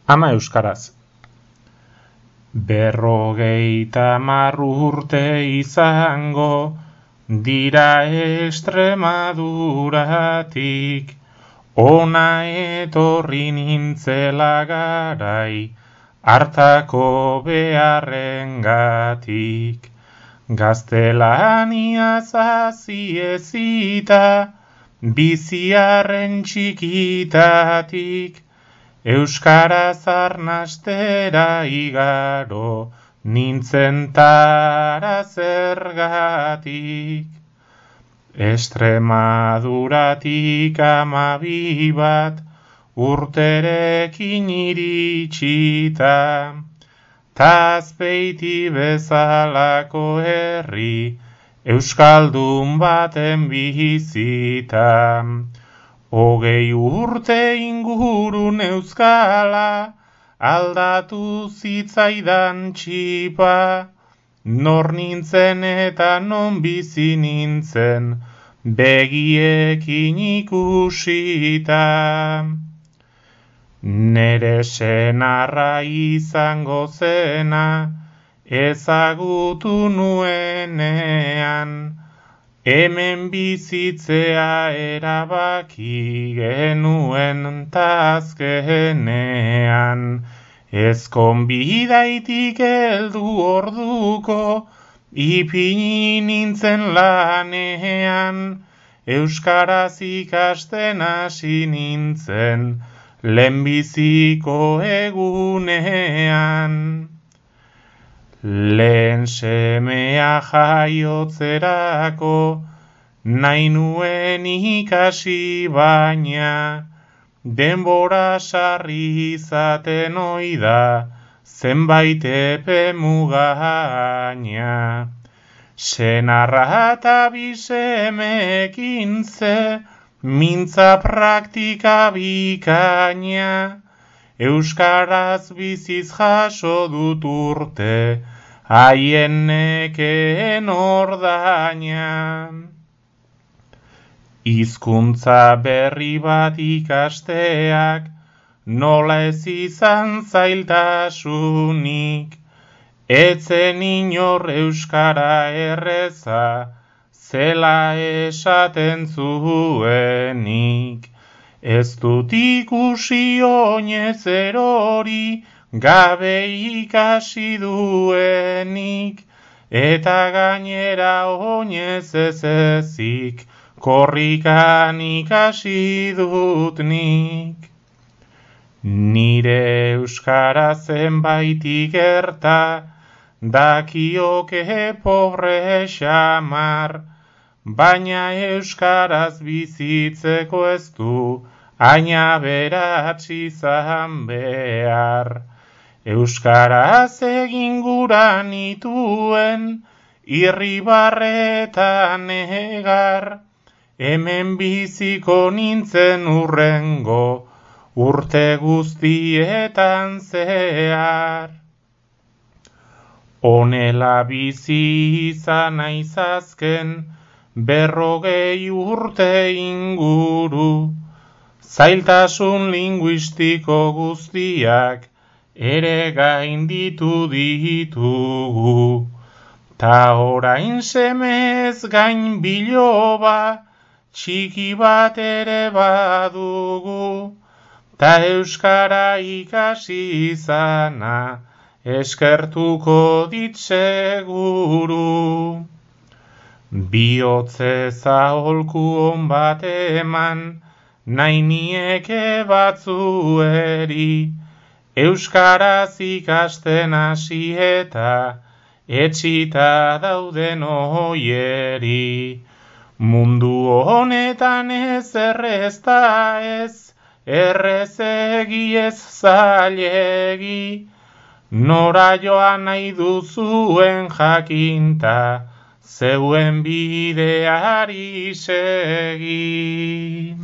Ama euskaraz. 50 urte izango dira Extremaduratik, ona etorri nintzela garai, hartako beharrengatik. Gaztelaniaz hasi ezita, biziarren txikitatik, euskaraz arnastera igaro, nintzen tara zergatik. Extremaduratik 12 bat, urterekin iritsita, Azpeiti bezalako herri, euskaldun baten bizita. 20 urte ingurun euskala, aldatu zitzaidan txipa, nor nintzen eta non bizi nintzen, begiekin ikusita. Nere senarra izango zena, ezagutu nuenean, hemen bizitzea erabaki genuen tazkenean. Ez konbidaitik heldu orduko, ipini nintzen lanean, euskaraz ikasten hasi nintzen, lehenbiziko egunean. Lehen semea jaiotzerako, nahi nuen ikasi baina, denbora sarri izaten oida, zenbait epe mugaina. Senarra eta bisemekin ze, mintza praktika bikaina, euskaraz biziz jaso dut urte, haien nekeen ordaina. Hizkuntza berri bat ikasteak, nola ez izan zailtasunik, etzen inor euskara erreza, zela esaten zuenik. Ez dut ikusi oinez erori, gabe ikasi duenik, eta gainera oinez ez ezik, korrikan ikasi dut nik. Nire euskara zenbait ikerta, dakioke pobre xamar, baina euskaraz bizitzeko ez du, haina beratz izan behar. Euskaraz egin gura nituen, irribarretan egar, hemen biziko nintzen hurrengo, urte guztietan zehar. Honela bizi izan naiz azken, 40 urte inguru, zailtasun linguistiko guztiak ere gainditu ditugu. Ta orain semez gain biloba, txiki bat ere badugu, ta euskara ikasi izana, eskertuko dit seguru. Bihotze zaholku on bat eman, nahi nieke batzueri, euskaraz ikasten hasi eta etxita dauden oieri. Mundu honetan ez errezta ez, errezegi ez zailegi, nora joan nahi duzuen jakinta, zeuen bideari segi.